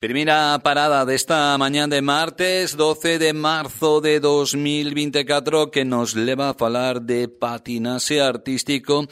Primera parada desta mañá de martes 12 de marzo de 2024 que nos leva a falar de patinaxe artístico,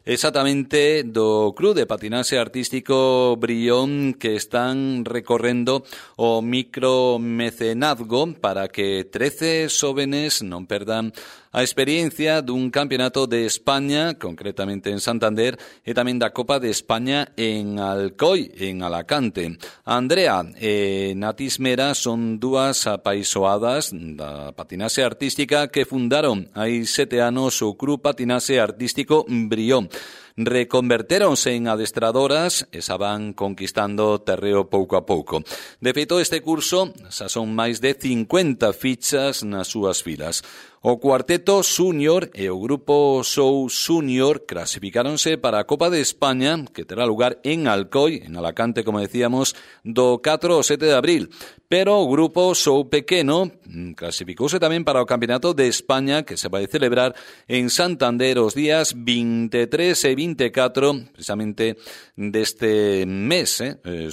exactamente do Club de Patinaxe Artístico Brión, que están recorrendo o micromecenazgo para que 13 xóvenes non perdan a experiencia dun campeonato de España, concretamente en Santander, e tamén da Copa de España en Alcoi, en Alacante. Andrea e Natis Mera son dúas apaisoadas da patinaxe artística que fundaron hai 7 anos o Club Patinaxe Artístico Brión. Reconvertéronse en adestradoras e xa van conquistando terreo pouco a pouco. De feito, este curso xa son máis de 50 fichas nas súas filas. O cuarteto Júnior e o grupo Show Júnior clasificáronse para a Copa de España, que terá lugar en Alcoi, en Alacante, como decíamos, do 4 ao 7 de abril. Pero o grupo Show Pequeno clasificouse tamén para o Campeonato de España, que se vai celebrar en Santander os días 23 e 24, precisamente deste mes,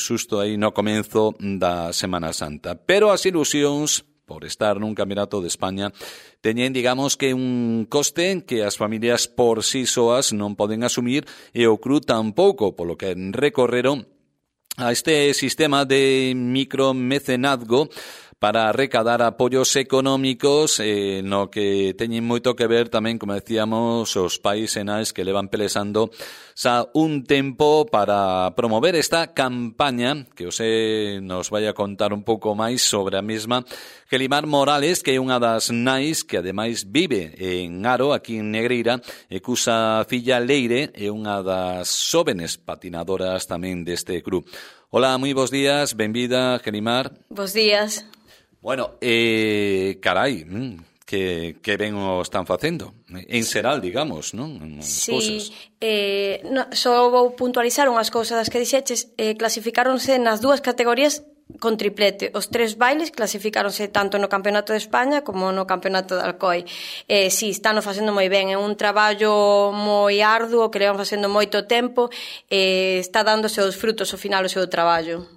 xusto aí no comenzo da Semana Santa. Pero as ilusións por estar nun Campeonato de España teñen, digamos, que un coste que as familias por sí soas non poden asumir e o club tampouco, polo que recorreron a este sistema de micromecenazgo para recadar apoios económicos, no que teñen moito que ver tamén, como decíamos, os pais e nais que levan pelesando xa un tempo para promover esta campaña, que José nos vai a contar un pouco máis sobre a mesma. Gelimar Morales, que é unha das nais que ademais vive en Aro, aquí en Negreira, e cusa filla Leire é unha das xóvenes patinadoras tamén deste club. Hola, moi bons días, benvida, Gelimar. Bos días. Bueno, carai, que ben o están facendo. En xeral, digamos, non? Sí, só vou puntualizar unhas cousas das que dixeches. Clasificáronse nas dúas categorías con triplete. Os 3 bailes clasificáronse tanto no Campeonato de España como no Campeonato de Alcoi. Si, están facendo moi ben. É un traballo moi arduo que levan facendo moito tempo e está dándose os frutos ao final o seu traballo.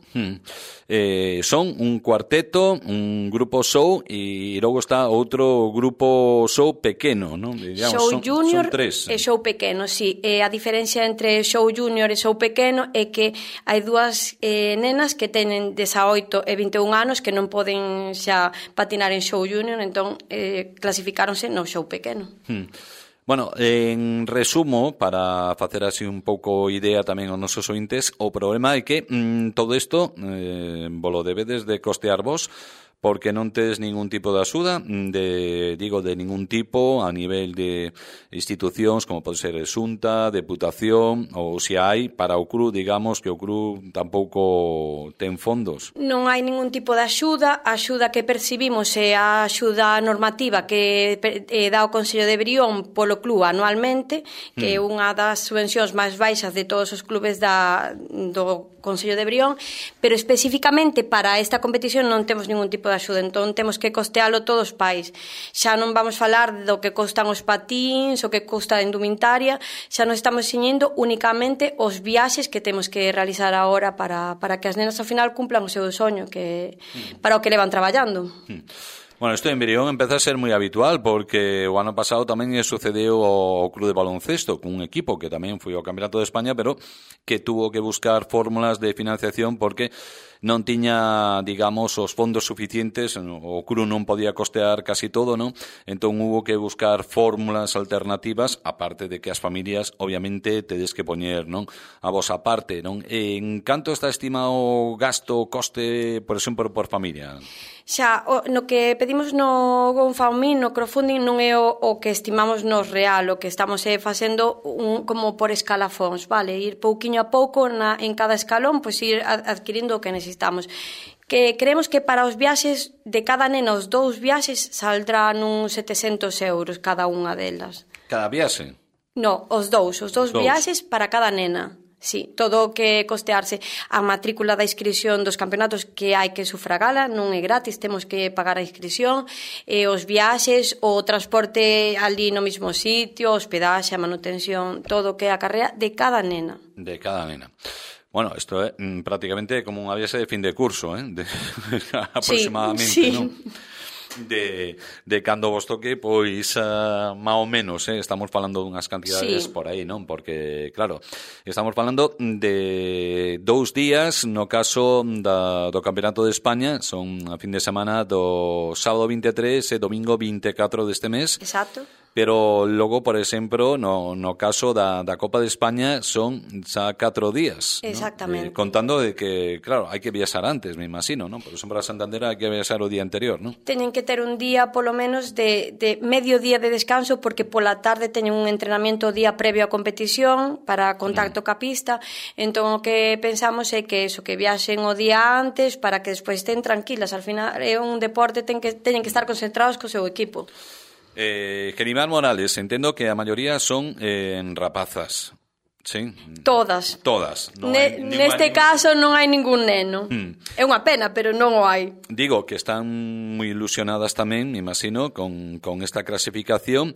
Son un cuarteto, un grupo show e logo está outro grupo show pequeno, non? Digamos, show junior son 3. E show pequeno, sí. A diferencia entre show junior e show pequeno é que hai dúas nenas que teñen 18 e 21 anos que non poden xa patinar en show junior, entón clasificáronse no show pequeno. Bueno, en resumo, para facer así un pouco idea tamén aos nosos ointes, o problema é que todo isto volo debedes de costear vos, porque non tes ningún tipo de axuda, de ningún tipo a nivel de institucións como pode ser Xunta, Deputación, ou se hai para o club, digamos que o club tampouco ten fondos. Non hai ningún tipo de axuda. A axuda que percibimos é a axuda normativa que dá o Consello de Brión polo club anualmente, que é unha das subvencións máis baixas de todos os clubes do Consello de Brión, pero especificamente para esta competición non temos ningún tipo de axuda, entón temos que costealo todos os pais. Xa non vamos falar do que costan os patíns, o que custa a indumentaria, xa non estamos ciñendo únicamente os viaxes que temos que realizar agora para que as nenas ao final cumplan o seu soño, que para o que levan traballando. Bueno, isto en Brión empeza a ser moi habitual porque o ano pasado tamén sucedeu ao Club de Baloncesto cun equipo que tamén foi ao Campeonato de España, pero que tuvo que buscar fórmulas de financiación porque non tiña, digamos, os fondos suficientes, o club non podía costear casi todo, non? Entón hubo que buscar fórmulas alternativas, aparte de que as familias, obviamente, tedes que poñer, non, a vosa parte, non? En canto está estimado o gasto, coste, por exemplo, por familia? Xa, no que pedimos no GoFundMe, no crowdfunding, non é o que estimamos nos real, o que estamos facendo como por escalafóns, vale? Ir pouquiño a pouco en cada escalón, pois ir adquirindo o que necesitamos. Que creemos que para os viaxes de cada nena, os 2 viaxes, saldrán uns 700 euros cada unha delas. Cada viaxe? No, os dous viaxes para cada nena. Sí, todo o que costearse. A matrícula da inscripción dos campeonatos que hai que sufragala non é gratis, temos que pagar a inscripción, os viaxes, o transporte ali no mesmo sitio, hospedaxe, a manutención, todo o que acarrea de cada nena. De cada nena. Bueno, isto é prácticamente como unha viaxe de fin de curso, aproximadamente, sí. non? De cando vos toque, pois máis ou menos, estamos falando dunhas cantidades por aí, non? Porque, claro, estamos falando de 2 días no caso do Campeonato de España, son a fin de semana do sábado 23 e domingo 24 deste mes. Exacto. Pero logo, por exemplo, no caso da Copa de España son xa 4 días. Exactamente. ¿no? Contando de que, claro, hai que viaxar antes, me imagino, ¿no? Por exemplo, a Santander hai que viaxar o día anterior, ¿no? Teñen que ter un día, polo menos, de medio día de descanso, porque pola tarde teñen un entrenamiento o día previo á competición para contacto ca pista. Entón, o que pensamos é que eso, que viaxen o día antes para que despois estén tranquilas. Al final, é un deporte, teñen que estar concentrados co seu equipo. Genimar Morales, entendo que a maioría son rapazas, sí? Todas. Non neste caso non hai ningún neno. É unha pena, pero non o hai. Digo que están moi ilusionadas tamén, me imagino, con esta clasificación.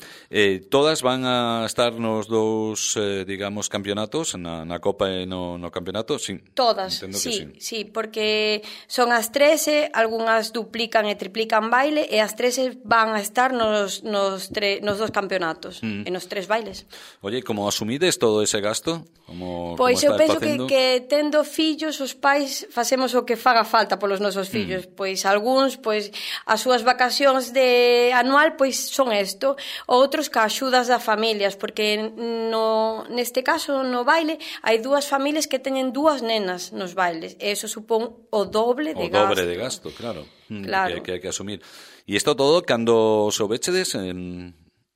Todas van a estar nos dous, digamos, campeonatos, na Copa e no campeonato, sí? Todas, sí, porque son as 13, algunhas duplican e triplican baile, e as 13 van a estar nos dos campeonatos, e nos 3 bailes. Oye, como asumides todo ese gasto? Pois eu penso que tendo fillos, os pais facemos o que faga falta polos nosos fillos. Pois algúns, pois as súas vacacións de anual pois son isto, outros ca axudas das familias, porque neste caso no baile hai 2 familias que teñen 2 nenas nos bailes, e eso supón o doble de gasto. O dobre de gasto, claro. Que hai que asumir. E isto todo cando soubechedes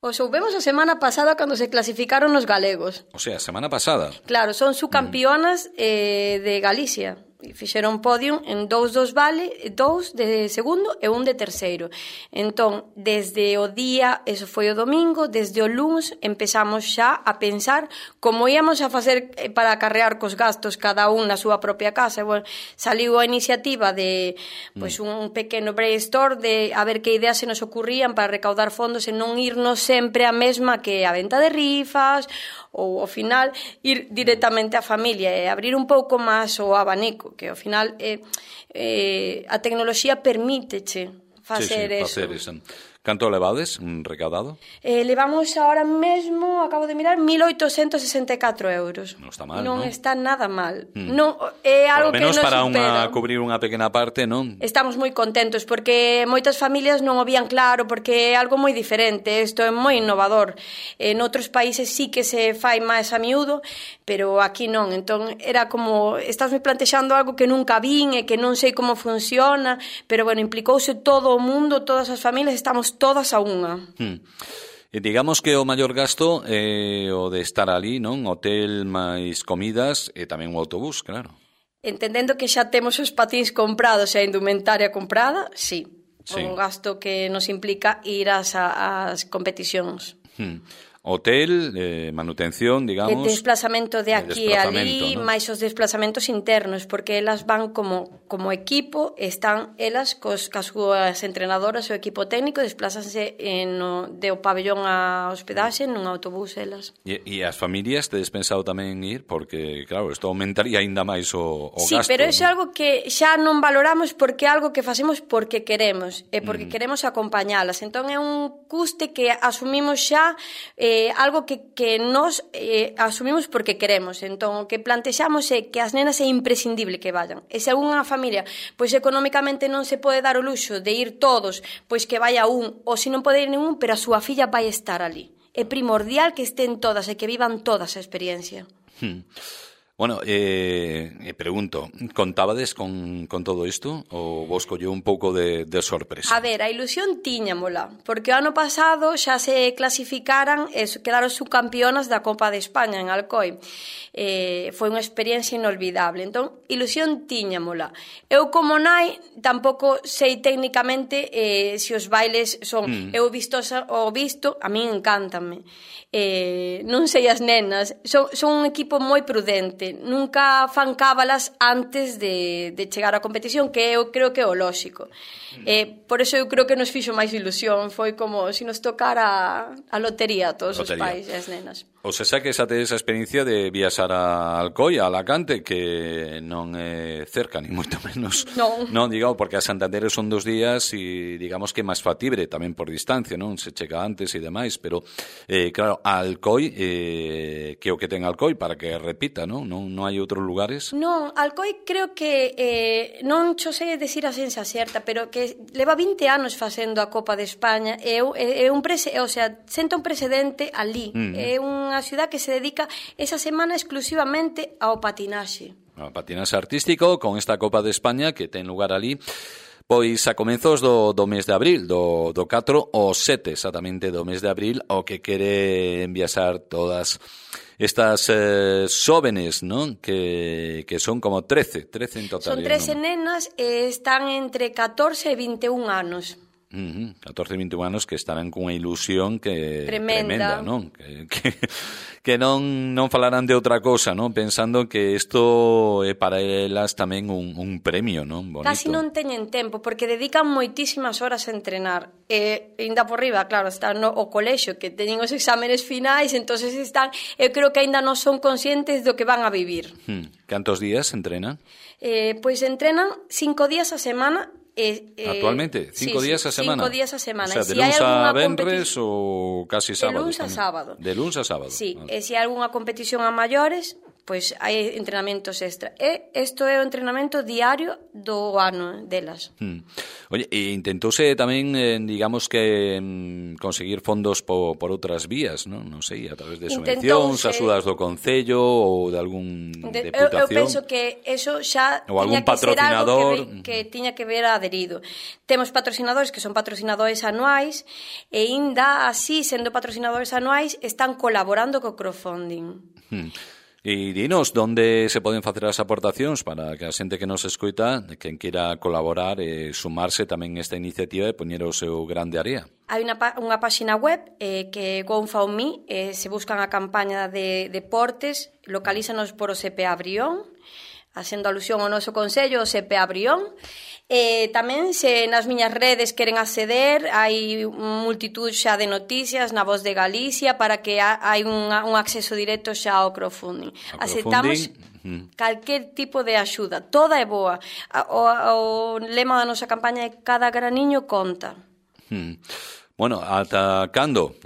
O soubemos a semana pasada cando se clasificaron os galegos. O sea, a semana pasada. Claro, son subcampeonas de Galicia. Fixeron podium en 2 dos vale, 2 de segundo e 1 de terceiro. Entón, desde o día, eso foi o domingo, desde o luns empezamos xa a pensar como íamos a facer para acarrear cos gastos cada un na súa propia casa. Bueno, saliu a iniciativa de pois un pequeno brainstorm de a ver que ideas se nos ocurrían para recaudar fondos e non irnos sempre a mesma que a venta de rifas ou ao final ir directamente á familia e abrir un pouco máis o abanico, que ao final a tecnoloxía permíteche facer eso. Canto levades recaudado? Levamos ahora mesmo, acabo de mirar, 1.864 euros. Non está mal, non? Non está nada mal. Non, é algo que nos supera. Por lo menos para cubrir unha pequena parte, non? Estamos moi contentos, porque moitas familias non o vían claro, porque é algo moi diferente, isto é moi innovador. En outros países sí que se fai máis a miúdo, pero aquí non. Entón, era como, estás me plantexando algo que nunca vin e que non sei como funciona, pero bueno, implicouse todo o mundo, todas as familias, estamos todas a unha. E digamos que o maior gasto é o de estar ali, non? Hotel máis comidas e tamén o autobús, claro. Entendendo que xa temos os patins comprados e a indumentaria comprada, sí. Un gasto que nos implica ir ás competicións. Hotel, manutención, digamos... Desplazamento de aquí e ali, ¿no? máis os desplazamentos internos, porque elas van como equipo, están elas cas súas entrenadoras, o equipo técnico, desplázanse de o pabellón a hospedaxe nun autobús elas. E as familias tedes pensado tamén ir? Porque, claro, isto aumentaría ainda máis o gasto. Sí, pero iso é algo que xa non valoramos porque é algo que facemos porque queremos, e porque queremos acompañalas. Entón é un custe que asumimos xa algo que nos asumimos porque queremos. Entón, o que plantexamos é que as nenas é imprescindible que vayan. E se unha familia, pois económicamente non se pode dar o luxo de ir todos, pois que vaya un, ou se non pode ir ningún, pero a súa filla vai estar ali. É primordial que estén todas e que vivan toda esa experiencia. Bueno, pregunto, contábades con todo isto ou vos colleu un pouco de sorpresa? A ver, a ilusión tiñamola, porque o ano pasado xa se clasificaran e quedaron subcampeonas da Copa de España en Alcoi. Foi unha experiencia inolvidable, entón, ilusión tiñamola. Eu como nai tampouco sei técnicamente se os bailes son... Eu visto, a min encántame. Non sei as nenas, son un equipo moi prudente, nunca fan cábalas antes de chegar á competición, que eu creo que é o lóxico. Por eso eu creo que nos fixo máis ilusión, foi como se nos tocara a lotería a todos os pais e as nenas. O sea que xa tedes a experiencia de viaxar a Alcoi, a Alacante, que non é cerca, ni moito menos. Non, digamos, porque a Santander son 2 días e digamos que é máis factible tamén por distancia, non? Se chega antes e demais, pero claro, a Alcoi, que o que ten Alcoi para que repita, non? Non hai outros lugares? Non, Alcoi creo que non xo sei decir a sensa certa, pero que leva 20 anos facendo a Copa de España, é un senta un precedente ali. É unha ciudad que se dedica esa semana exclusivamente ao patinaxe. Ao patinaxe artístico, con esta Copa de España que ten lugar ali, pois a comenzos do mes de abril, do 4 ao 7 exactamente do mes de abril, o que quere enviasar todas estas xóvenes, non? Que son como 13 en total. Son 13 nenas e están entre 14 e 21 anos. 14 e 21 anos que estarán cunha ilusión que tremenda, non? Que non falarán de outra cosa, non? Pensando que isto é para elas tamén un premio, non? Bonito. Casi non teñen tempo, porque dedican moitísimas horas a entrenar. E ainda por riba, claro, están o colexio, que teñen os exámenes finais, entonces están, eu creo que ainda non son conscientes do que van a vivir. Cantos días entrenan? Pois entrenan 5 días a semana. Actualmente, 5 días a semana. 5 días a semana. O sea, de luns a venres ou casi sábado. De luns a sábado. De luns a sábado. Sí, vale. E se hai algunha competición a maiores, pois hai entrenamentos extra. E isto é o entrenamento diario do ano delas. Oye, e intentouse tamén, digamos que conseguir fondos por outras vías, non? Non sei, a través de subvencións, axudas do Concello ou de algún deputación. Eu penso que eso xa ou tiña algún que ser patrocinador algo que tiña que ver adherido. Temos patrocinadores que son patrocinadores anuais e ainda así, sendo patrocinadores anuais, están colaborando co crowdfunding. E dinos onde se poden facer as aportacións para que a xente que nos escoita, quen queira colaborar e sumarse tamén esta iniciativa e poñer o seu grande área. Hai unha páxina web que é GoFundMe, se buscan a campaña de deportes, localízanos por o CPA Brión, facendo alusión ao noso concello, o CPA Brión. Tamén, se nas miñas redes queren acceder, hai multitud xa de noticias na Voz de Galicia para que hai un acceso directo xa ao crowdfunding. Aceptamos calquer tipo de axuda, toda é boa. O lema da nosa campaña é cada graniño conta. Bueno, ata cando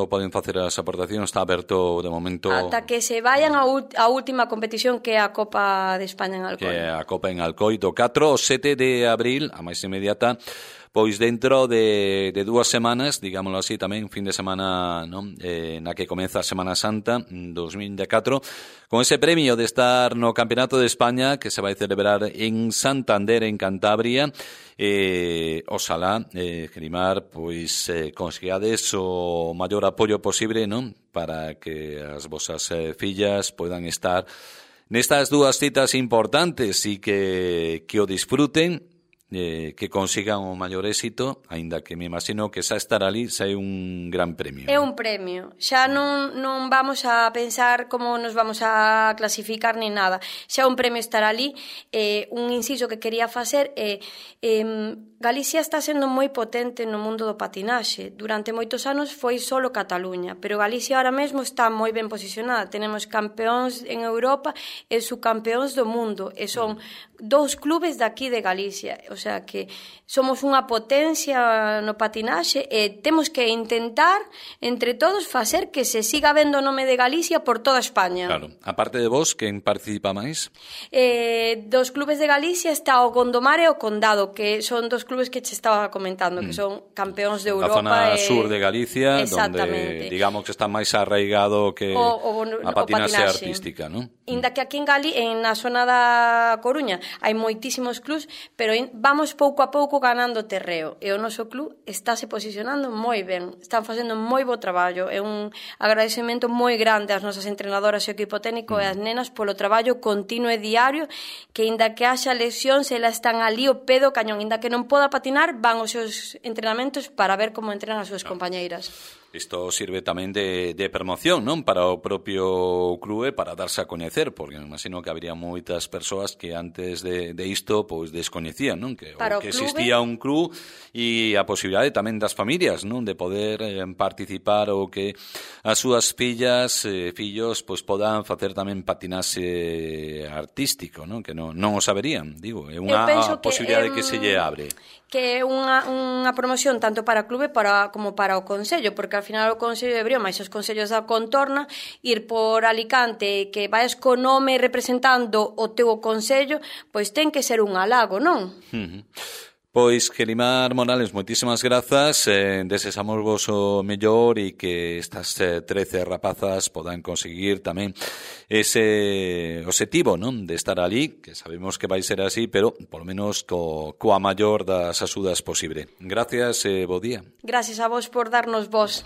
poden facer as aportacións? Está aberto de momento... Ata que se vayan a última competición, que é a Copa de España en Alcoi. Que é a Copa en Alcoi do 4 ao 7 de abril, a máis inmediata, pois dentro de 2 semanas, digámoslo así, tamén fin de semana, non? Na que comeza a Semana Santa 2024, con ese premio de estar no Campeonato de España que se vai celebrar en Santander, en Cantabria. Oxalá, Grimar, pois consigades o maior apoio posible, non? Para que as vosas fillas poidan estar nestas 2 citas importantes e que o disfruten, que consigan o maior éxito, aínda que me imagino que xa estar ali xa é un gran premio. É un premio. Xa non vamos a pensar como nos vamos a clasificar ni nada. Xa é un premio estar ali. Un inciso que quería facer é Galicia está sendo moi potente no mundo do patinaxe. Durante moitos anos foi solo Cataluña, pero Galicia ahora mesmo está moi ben posicionada. Tenemos campeóns en Europa e subcampeóns do mundo, e son 2 clubes daqui de Galicia. O sea que somos unha potencia no patinaxe e temos que intentar entre todos facer que se siga vendo o nome de Galicia por toda España. Claro. A parte de vos, quen participa máis? Dos clubes de Galicia está o Gondomar e o Condado, que son 2 clubes que che estaba comentando, que son campeóns de Europa. A zona sur de Galicia, donde digamos que está máis arraigado que a patinaxe artística, non? Inda que aquí na zona da Coruña hai moitísimos clubs, pero vamos pouco a pouco ganando terreo, e o noso club estáse posicionando moi ben, están facendo moi bo traballo. É un agradecemento moi grande ás nosas entrenadoras e o equipo técnico e ás nenas polo traballo continuo e diario, que inda que haxa lesións, elas están ali o pé do cañón, inda que non poda patinar, van aos seus entrenamentos para ver como entrenan as súas compañeiras. Isto sirve tamén de promoción, non? Para o propio clube, para darse a coñecer, porque me imagino que habría moitas persoas que antes de isto pois descoñecían, non? Que existía un club e a posibilidade tamén das familias, non? De poder participar ou que as súas fillas, fillos, pois podan facer tamén patinaxe artístico, non? Que non o saberían, digo, é unha posibilidade que se lle abre. Que é unha promoción tanto para o clube como para o Concello, porque ao final o Concello de Brión, máis os concellos da contorna, ir por Alicante, que vais co nome representando o teu Concello, pois ten que ser un halago, non? Pois, Gelimar Morales, moitísimas grazas, desexamos vos o mellor e que estas 13 rapazas podan conseguir tamén ese obxectivo, non? De estar ali, que sabemos que vai ser así, pero por lo menos coa maior das axudas posible. Gracias e bo día. Gracias a vos por darnos voz.